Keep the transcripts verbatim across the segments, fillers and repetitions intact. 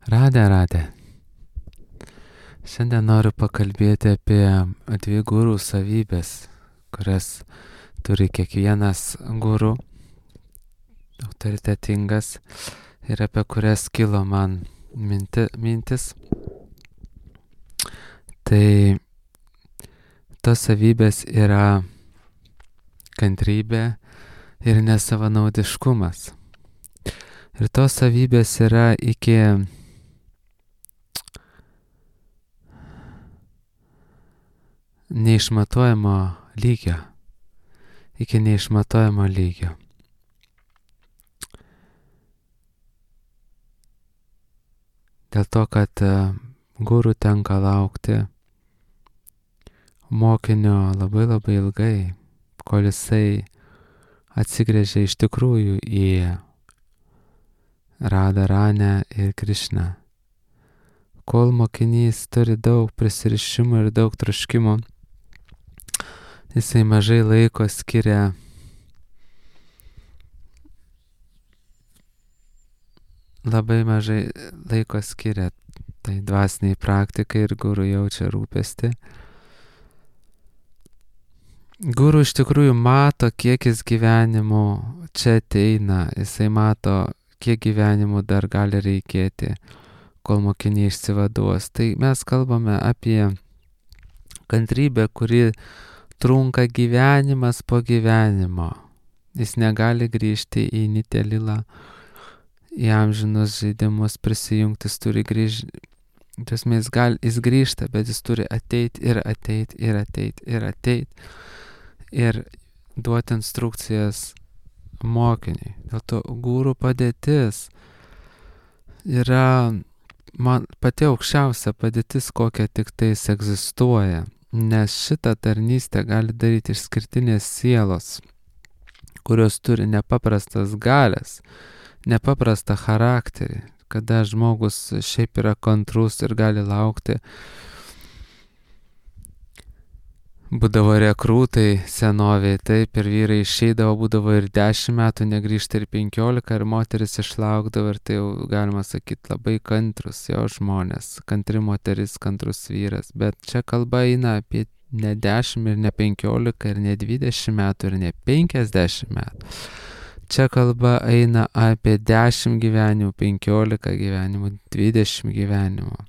Radė, radė. Šiandien noriu pakalbėti apie dvi gurų savybės, kurias turi kiekvienas guru, autoritetingas, ir apie kurias kilo man minti, mintis. Tai tos savybės yra kantrybė ir nesavanaudiškumas. Ir tos savybės yra iki neišmatuojamo lygio. Iki neišmatuojamo lygio. Dėl to, kad guru tenka laukti mokinio labai labai ilgai, kol jisai atsigręžia iš tikrųjų į Radharanę ir Krišną. Kol mokinys turi daug prisirišimų ir daug troškimų, jisai mažai laiko skiria labai mažai laiko skiria tai dvasiniai praktikai ir guru jaučia rūpestį. Guru iš tikrųjų mato, kiek jis gyvenimų čia ateina, jisai mato, kiek gyvenimų dar gali reikėti, kol mokiniai išsivaduos. Tai mes kalbame apie kantrybę, kuri trunka gyvenimas po gyvenimo. Jis negali grįžti į Nitelilą, į amžinus žaidimus prisijungti, jis turi grįžti. Jis, gal, jis grįžta, bet jis turi ateiti ir ateiti ir ateiti ir ateiti ir duoti instrukcijas mokiniui. Dėl to guru padėtis yra man pati aukščiausia padėtis, kokia tik tais egzistuoja. Nes šitą tarnystę gali daryti išskirtinės sielos, kurios turi nepaprastas galias, nepaprastą charakterį, kada žmogus šiaip yra kantrus ir gali laukti. Būdavo rekrūtai senovėje, taip, ir vyrai išeidavo, būdavo ir dešimt metų, negrįžta ir penkiolika, ir moteris išlaukdavo, ir tai jau galima sakyti labai kantrus jo žmonės, kantri moteris, kantrus vyras. Bet čia kalba eina apie ne dešimt ir ne penkiolika ir ne dvidešimt metų ir ne penkiasdešimt metų. Čia kalba eina apie dešimt gyvenimų, penkiolika gyvenimų, dvidešimt gyvenimų.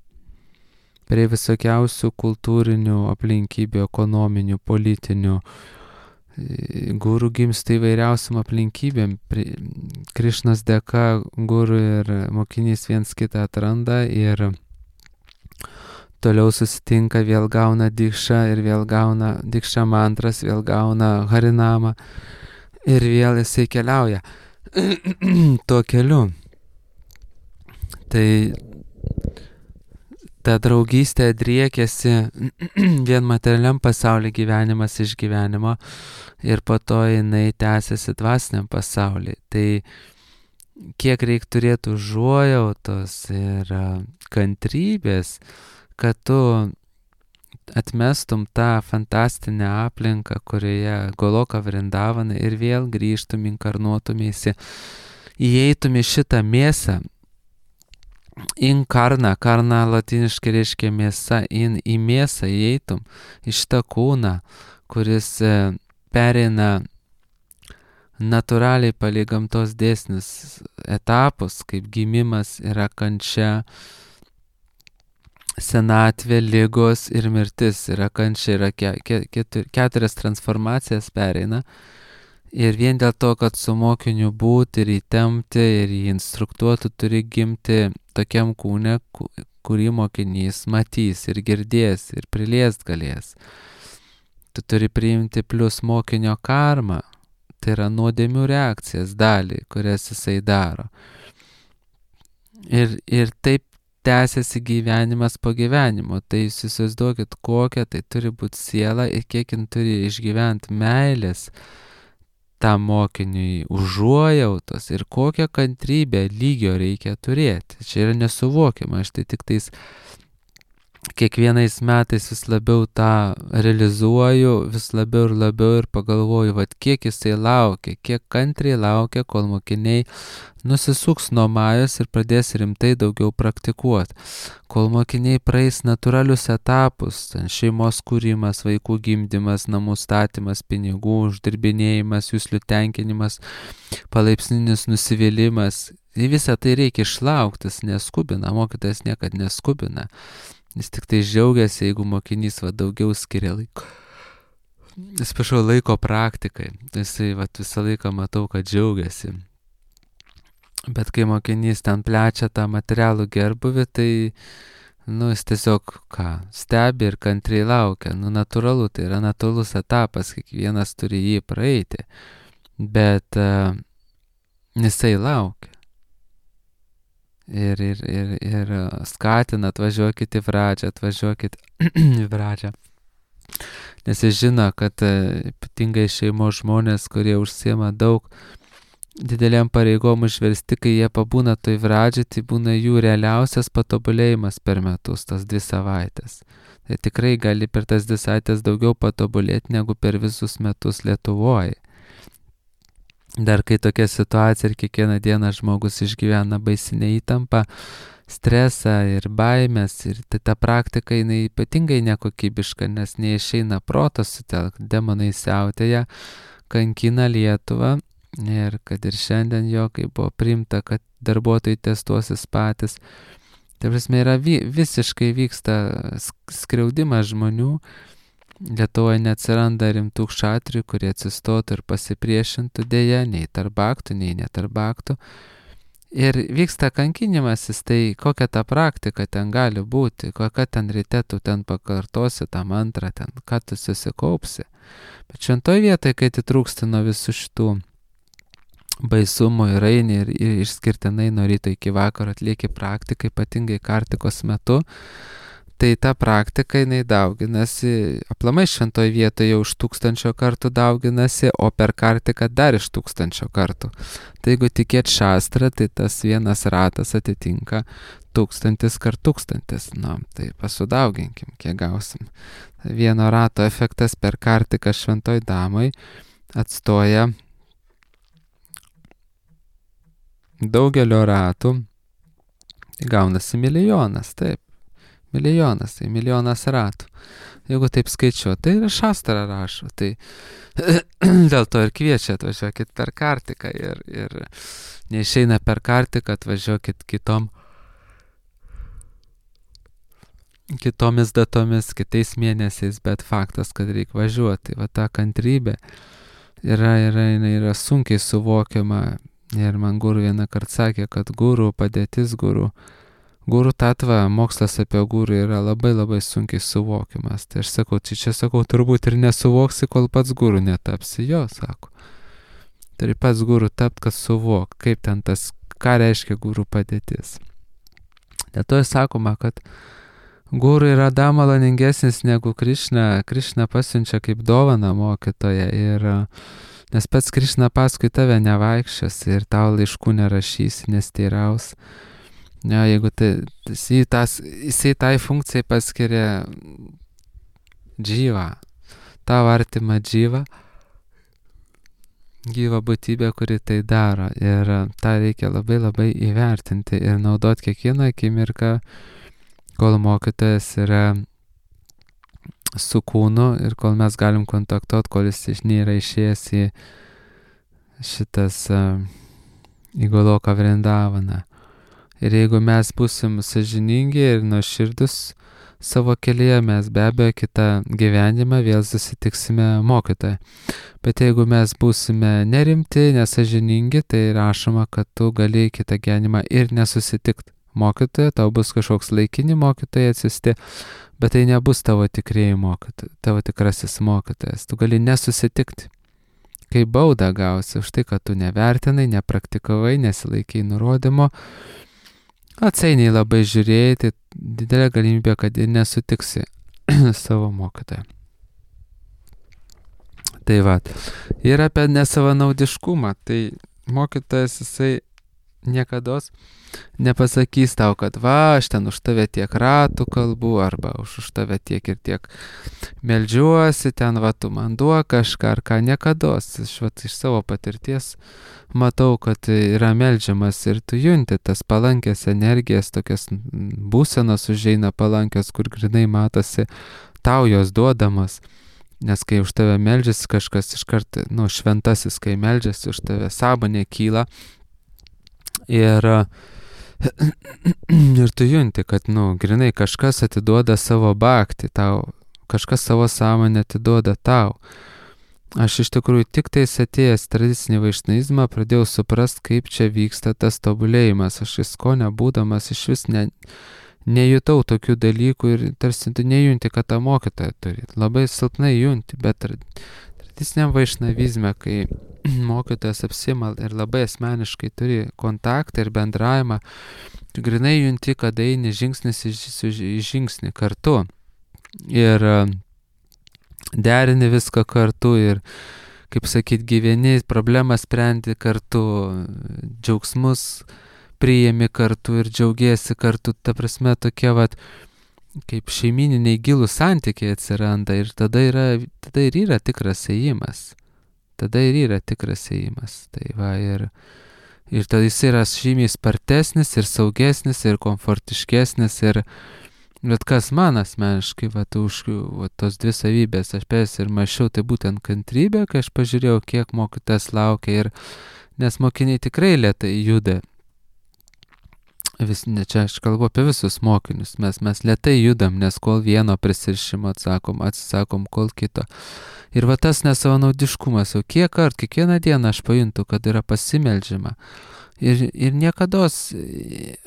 Prie visokiausių kultūrinių aplinkybių, ekonominių, politinių. Guru gimsta įvairiausiam aplinkybėm. Krišnos dėka guru ir mokinys viens kitą atranda ir toliau susitinka, vėl gauna dikšą ir vėl gauna dikšą mantras, vėl gauna harinamą ir vėl jisai keliauja tuo keliu. Tai ta draugystė driekėsi vien materialiam pasaulyje, gyvenimas iš gyvenimo, ir po to jinai tęsiasi dvasiniam pasaulyje. Tai kiek reik turėti užuojautos ir kantrybės, kad tu atmestum tą fantastinę aplinką, kurioje Goloka Vrindavana, ir vėl grįžtum, inkarnuotumėsi, įeitum į šitą mėsą. In karna, karna latiniškai reiškia mėsa, in į mėsą įeitum, į šitą kūną, kuris pereina natūraliai palei gamtos dėsnius etapus, kaip gimimas yra kančia, senatvė, ligos ir mirtis. Yra kančia, yra ke, ke, ketur, keturias transformacijas pereina. Ir vien dėl to, kad su mokiniu būti ir įtempti ir jį instruktuoti, turi gimti tokiam kūne, kurį mokinys matys ir girdės ir priliest galės. Tu turi priimti plus mokinio karmą, tai yra nuodėmių reakcijas dalį, kurias jisai daro. Ir, ir taip tęsiasi gyvenimas po gyvenimo. Tai jūs įsivaizduokit, kokia tai turi būti siela ir kiek jin turi išgyventi meilės tam mokiniui, užuojautos ir kokią kantrybę lygio reikia turėti. Čia yra nesuvokiama, aš tai tik tais kiekvienais metais vis labiau tą realizuoju, vis labiau ir labiau ir pagalvoju, vat kiek jisai laukia, kiek kantriai laukia, kol mokiniai nusisuks nuo Majos ir pradės rimtai daugiau praktikuoti. Kol mokiniai praeis natūralius etapus, šeimos kūrimas, vaikų gimdymas, namų statymas, pinigų uždirbinėjimas, jūslių tenkinimas, palaipsninis nusivylimas. Į visą tai reikia išlauktis, neskubina, mokytojas niekad neskubina. Jis tik tai džiaugiasi, jeigu mokinys va, daugiau skiria laiko. Jis prašau laiko praktikai. Jisai va, visą laiką matau, kad džiaugiasi. Bet kai mokinys ten plečia tą materialų gerbuvį, tai nu, jis tiesiog ką, stebi ir kantriai laukia. Nu, natūralu, tai yra natūralus etapas, kiekvienas turi jį praeiti. Bet uh, jisai laukia. Ir, ir, ir, ir skatina, atvažiuokit į pradžią, atvažiuokit į pradžią. Nes jis žino, kad ypatingai šeimos žmonės, kurie užsiema daug didelėm pareigom užversti, kai jie pabūna toj pradžiai, tai būna jų realiausias patobulėjimas per metus, tas dvi savaitės. Tai tikrai gali per tas dvi savaitės daugiau patobulėti, negu per visus metus Lietuvoje. Dar kai tokia situacija ir kiekvieną dieną žmogus išgyvena baisinę įtampą, stresą ir baimės, ir tai ta praktika jinai ypatingai nekokybiška, nes neišeina protas sutelkti, demonai siautėja, kankina Lietuvą ir kad ir šiandien jo, kai buvo priimta, kad darbuotojai testuosis patys, tai prasme yra vi, visiškai vyksta skriaudimas žmonių. Lietuvoje neatsiranda rimtų kšatrių, kurie atsistotų ir pasipriešintų dėja, nei tarp aktų, nei netarp aktų. Ir vyksta kankinimasis, tai kokia ta praktika ten gali būti, kokia ten ryte tu ten pakartosi tą mantrą, ten ką tu susikaupsi. Bet šventoj vietoje, kai atitrūksti nuo visų šitų baisumų ir eini ir, ir išskirtinai nuo ryto iki vakaro atlieki praktiką, ypatingai kartikos metu, tai ta praktika jinai dauginasi, aplamai šventoj vietoje už tūkstančio kartų dauginasi, o per kartiką dar iš tūkstančio kartų. Tai jeigu tikėt šastrą, tai tas vienas ratas atitinka tūkstantis kart tūkstantis. Na, tai pasudauginkim, kiek gausim. Vieno rato efektas per kartiką šventoj damai atstoja daugelio ratų, gaunasi milijonas, taip. Milijonas, tai milijonas ratų. Jeigu taip skaičiuo, tai ir šastra rašo. Tai dėl to ir kviečia, atvažiuokit per kartiką. Ir, ir neišeina per kartiką, atvažiuokit kitom, kitomis datomis, kitais mėnesiais, bet faktas, kad reikia važiuoti. Va ta kantrybė yra, yra, yra sunkiai suvokiama. Ir man guru vieną kartą sakė, kad guru padėtis guru. Guru tatva, mokslas apie guru yra labai labai sunkiai suvokiamas. Tai aš sakau, čia, čia sakau, turbūt ir nesuvoksi, kol pats guru netapsi. Jo, sako. Turi pats guru tapt, kad suvok, kaip ten tas, ką reiškia guru padėtis. Dėl to sakoma, kad guru yra dar maloningesnis negu Krišna. Krišna pasiunčia kaip dovaną mokytoją. Ir, nes pats Krišna paskui tave nevaikščios ir tau laiškų nerašys, nesteiraus. Ja, jeigu tai, jisai, tas, jisai tai funkcijai paskiria džyvą, tavo artimą džyvą, gyvą būtybę, kuri tai daro. Ir tą reikia labai labai įvertinti ir naudoti kiekvieną akimirką, kol mokytojas yra su kūnu ir kol mes galim kontaktuoti, kol jis nėra išėjęs į šitas uh, į Goloką Vrindavaną. Ir jeigu mes būsim sąžiningi ir nuoširdus savo kelyje, mes be abejo kitą gyvenimą vėl susitiksime mokytoje. Bet jeigu mes būsime nerimti, nesąžiningi, tai rašoma, kad tu gali kitą gyvenimą ir nesusitikti mokytoje, tau bus kažkoks laikini mokytojai atsisti, bet tai nebus tavo tikrieji mokytojai, tavo tikrasis mokytojas. Tu gali nesusitikti. Kai baudą gausi už tai, kad tu nevertinai, nepraktikavai, nesilaikiai nurodymo, atsainiai labai žiūrėjai, tai didelė galimybė, kad ir nesutiksi savo mokytoją. Tai va, ir apie nesavanaudiškumą, tai mokytojas jisai niekados nepasakys tau, kad va, aš ten už tave tiek ratų kalbu, arba už, už tave tiek ir tiek meldžiuosi, ten va, tu man duok kažką, ar ką, niekados. Aš va, iš savo patirties matau, kad yra meldžiamas ir tu junti tas palankės energijas, tokias būsenos užeina palankios, kur grinai matosi tau jos duodamas. Nes kai už tave meldžiasi kažkas iškart, nu, šventasis, kai meldžiasi už tave, sąmonė kyla ir, ir tu junti, kad, nu, grinai kažkas atiduoda savo bhaktį tau, kažkas savo sąmonę atiduoda tau. Aš iš tikrųjų tik tais atėjęs tradicinį vaišnavizmą pradėjau suprast, kaip čia vyksta tas tobulėjimas. Aš ISKCONe būdamas iš vis ne... nejutau tokių dalykų ir tarsi tu nejunti, kad tą mokytoją turi. Labai silpnai junti, bet tradiciniam vaišnavizme, kai mokytojas apsima ir labai asmeniškai turi kontaktą ir bendravimą, tu grinai junti, kad eini žingsnis į žingsnį kartu. Ir derini viską kartu ir, kaip sakyt, gyveni, problemą sprendi kartu, džiaugsmus priėmi kartu ir džiaugiesi kartu, ta prasme tokie vat, kaip šeimininiai gilūs santykiai atsiranda ir tada, yra, tada ir yra tikras ėjimas. Tada ir yra tikras ėjimas. Tai va, ir, ir tada jis yra žymiai spartesnis ir saugesnis ir komfortiškesnis ir bet kas man asmeniškai, va, už va, tos dvi savybės aš pės ir mačiau, tai būtent kantrybė, kai aš pažiūrėjau, kiek mokytas laukia ir nes mokiniai tikrai lėtai juda. Vis, ne, čia aš kalbu apie visus mokinius, mes, mes lėtai judam, nes kol vieno prisirišimo atsakom, atsisakom, kol kito. Ir va tas nesavanaudiškumas, jau kiek kart, kiekvieną dieną aš pajuntu, kad yra pasimeldžiama. Ir, ir niekados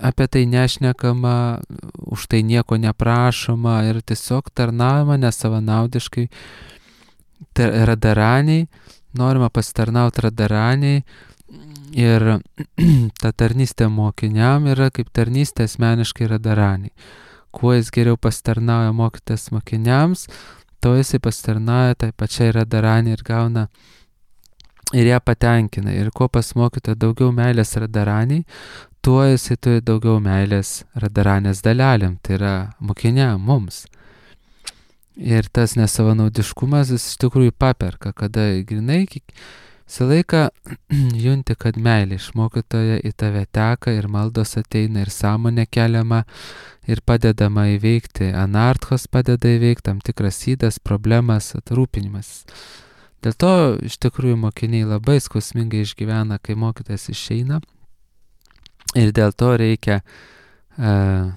apie tai nešnekama, už tai nieko neprašoma ir tiesiog tarnaujama nesavanaudiškai radaraniai, norima pasitarnauti radaraniai. Ir ta tarnystė mokiniam yra kaip tarnystė asmeniškai radaraniai. Kuo jis geriau pasitarnauja mokytas mokiniams, to jisai pasitarnauja tai pačiai radaraniai ir gauna ir ją patenkina. Ir kuo pas mokytoją daugiau meilės radaraniai, tuo jisai turi daugiau meilės radaranės dalelėm, tai yra mokiniam, mums. Ir tas nesavanaudiškumas jis iš tikrųjų paperka, kada grinai visą laiką junti, kad meilė iš mokytojo į tave teka ir maldos ateina ir sąmonė keliama ir padedama įveikti anarthos, padeda įveikti tam tikras ydas, problemas, atrūpinimas. Dėl to iš tikrųjų mokiniai labai skausmingai išgyvena, kai mokytojas išeina ir dėl to reikia uh,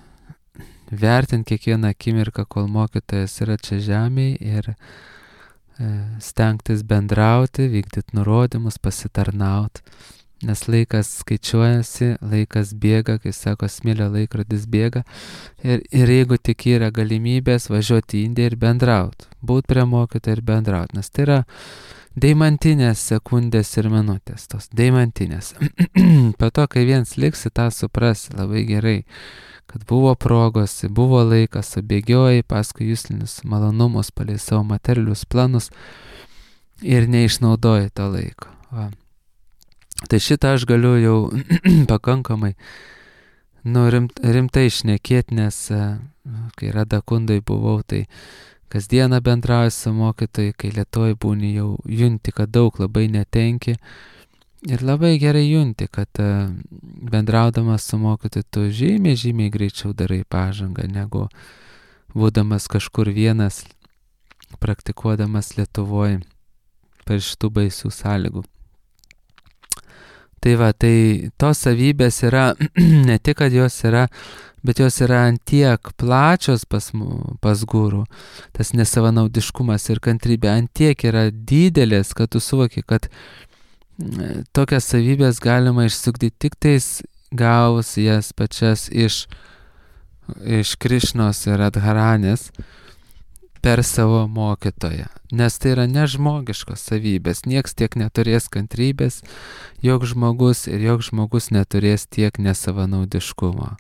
vertinti kiekvieną akimirką, kol mokytojas yra čia žemėje ir stengtis bendrauti, vykdyti nurodymus, pasitarnauti, nes laikas skaičiuojasi, laikas bėga, kai sako, smėlio laikrodis bėga ir, ir jeigu tik yra galimybės važiuoti į Indiją ir bendrauti, būti prie mokytojo ir bendrauti, nes tai yra deimantinės sekundės ir minutės, tos deimantinės. Po to, kai viens liksi, tą suprasi labai gerai, kad buvo progos, buvo laikas, subėgiojai paskui juslinius malonumus, palei savo materialius planus ir neišnaudojai to laiko. Va. Tai šitą aš galiu jau pakankamai nu, rimt, rimtai šnekėti, nes kai Radakundai buvau, tai kasdieną bendrauju su mokytojai, kai Lietuvoj būni jau junti, kad daug labai netenki. Ir labai gerai junti, kad uh, bendraudamas su mokytoju tu žymiai, žymiai greičiau darai pažangą, negu būdamas kažkur vienas, praktikuodamas Lietuvoje per šitų baisių sąlygų. Tai va, tai tos savybės yra, ne tik, kad jos yra, bet jos yra antiek plačios pas, pas gurų, tas nesavanaudiškumas ir kantrybė antiek yra didelės, kad tu suvoki, kad tokias savybės galima išsukti tik tais gavus jas pačias iš, iš Krišnos ir Radharanės per savo mokytoją. Nes tai yra nežmogiškos savybės. Nieks tiek neturės kantrybės, joks žmogus ir joks žmogus neturės tiek nesavanaudiškumo.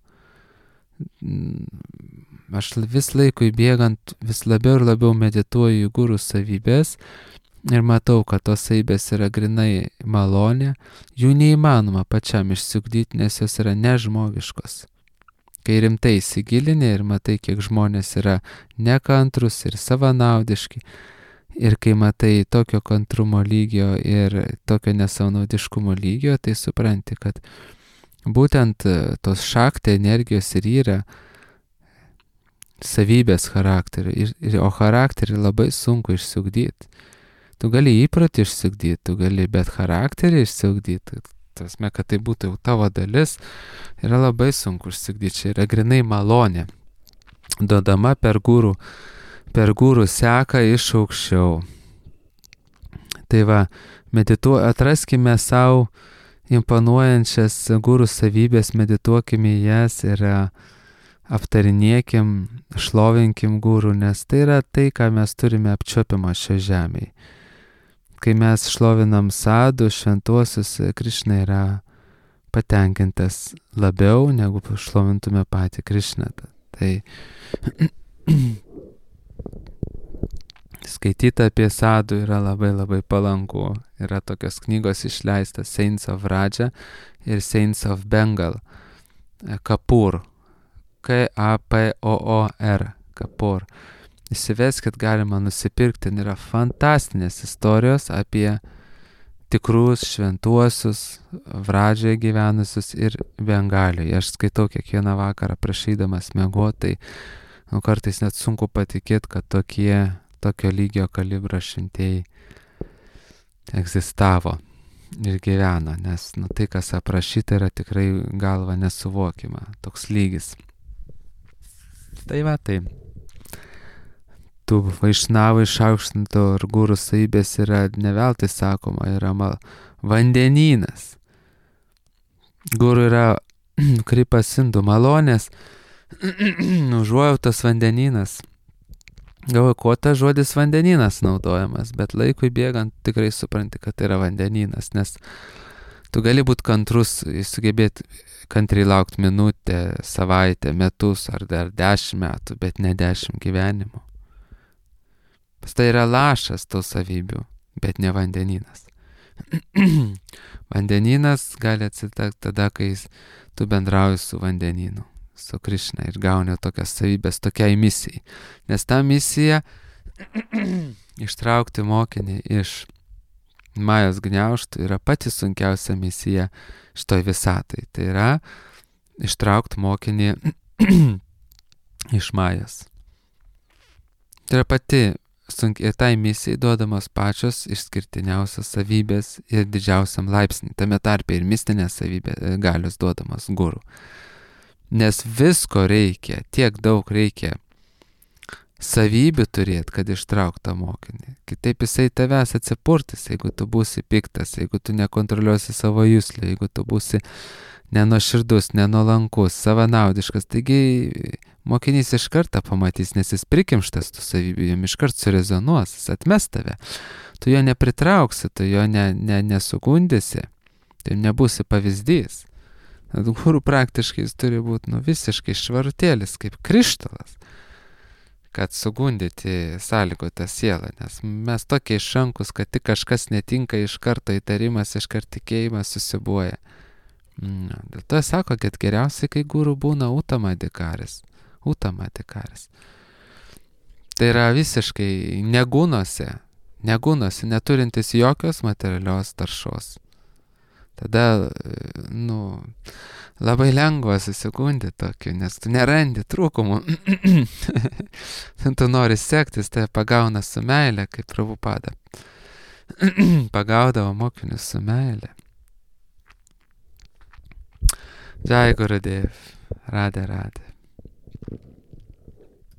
Aš vis laikui bėgant vis labiau ir labiau medituoju į gurų savybės ir matau, kad tos savybės yra grinai malonė, jų neįmanoma pačiam išsiugdyti, nes jos yra nežmogiškos. Kai rimtai įsigilinė ir matai, kiek žmonės yra nekantrus ir savanaudiški, ir kai matai tokio kantrumo lygio ir tokio nesavanaudiškumo lygio, tai supranti, kad būtent tos šaktai energijos ir yra savybės charakterio, ir, ir, o charakterį labai sunku išsiugdyti. Tu gali įprotį išsiugdyti, tu gali bet charakterį išsiugdyti. Tasme, kad tai būtų jau tavo dalis, yra labai sunku išsiugdyti. Čia yra grinai malonė, duodama per gūrų, per gūrų seką iš aukščiau. Tai va, medituo, atraskime savo imponuojančias gūrų savybės, medituokime jas ir aptarinėkim, šlovinkim gūrų, nes tai yra tai, ką mes turime apčiuopiamą šio žemėje. Kai mes šlovinam sadų, šventuosius, Krišna yra patenkintas labiau, negu šlovintume patį Krišną. Tai skaityti apie sadų yra labai labai palanku. Yra tokios knygos išleistas Saints of Raja ir Saints of Bengal. Kapur. K A P O O R. Kapur. Įsiveskit, galima nusipirkti, yra fantastinės istorijos apie tikrus šventuosius Vradžioje gyvenusius ir Bengalijoje. Aš skaitau kiekvieną vakarą prašydamas miegoti, tai nu, kartais net sunku patikėti, kad tokie, tokio lygio kalibro šventieji egzistavo ir gyveno, nes nu, tai, kas aprašyta, yra tikrai galva nesuvokiama, toks lygis. Tai va, tai tų vaišnavų išaukštinto ir gūrų savybės yra neveltui sakoma, yra mal, vandenynas. Gūrų yra kripas indų malonės, užuojautos vandenynas. Galvoju, kuo tas žodis vandenynas naudojamas, bet laikui bėgant tikrai supranti, kad tai yra vandenynas, nes tu gali būti kantrus, sugebėti kantriai laukti minutę, savaitę, metus ar dar dešimt metų, bet ne dešimt gyvenimų. Tai yra lašas tų savybių, bet ne vandenynas. Vandenynas gali atsitikti tada, kai tu bendrauji su vandenynu, su Krišna ir gauni tokias savybės tokiai misijai. Nes ta misija ištraukti mokinį iš Majos gniaužtų yra pati sunkiausia misija šitoj visatai. Tai yra ištraukti mokinį iš Majos. Tai yra pati sunkiai, tai misijai duodamos pačios išskirtiniausios savybės ir didžiausiam laipsnį, tame tarpe ir mistinės savybės galios duodamos guru. Nes visko reikia, tiek daug reikia savybių turėti, kad ištraukta mokinį. Kitaip jisai tavęs atsipurtis, jeigu tu būsi piktas, jeigu tu nekontroliuosi savo juslų, jeigu tu būsi nenuoširdus, nenuolankus, savanaudiškas. Taigi mokinys iš karto pamatys, nes jis prikimštas tų savybių, jam iš karto surezonuos, jis atmes tave. Tu jo nepritrauksi, tu jo ne, ne, nesugundysi, tai nebūsi pavyzdys. Guru praktiškai jis turi būti nu, visiškai švarutėlis, kaip krištolas, kad sugundyti sąlygotą sielą, nes mes tokie išrankus, kad tik kažkas netinka, iš karto įtarimas, iš karto tikėjimas susibuoja. No, dėl to sako, kad geriausiai, kai guru būna utamadikaris. Utamadikaris. Tai yra visiškai negūnose, negūnose, neturintis jokios materialios taršos. Tada, nu, labai lengva susigundyti tokiu, nes tu nerandi trūkumų. Tu nori sektis, tai pagauna su meile, kaip Prabhupada. Pagaudavo mokinius su meile. Jai Gurudev, Radhe Radhe.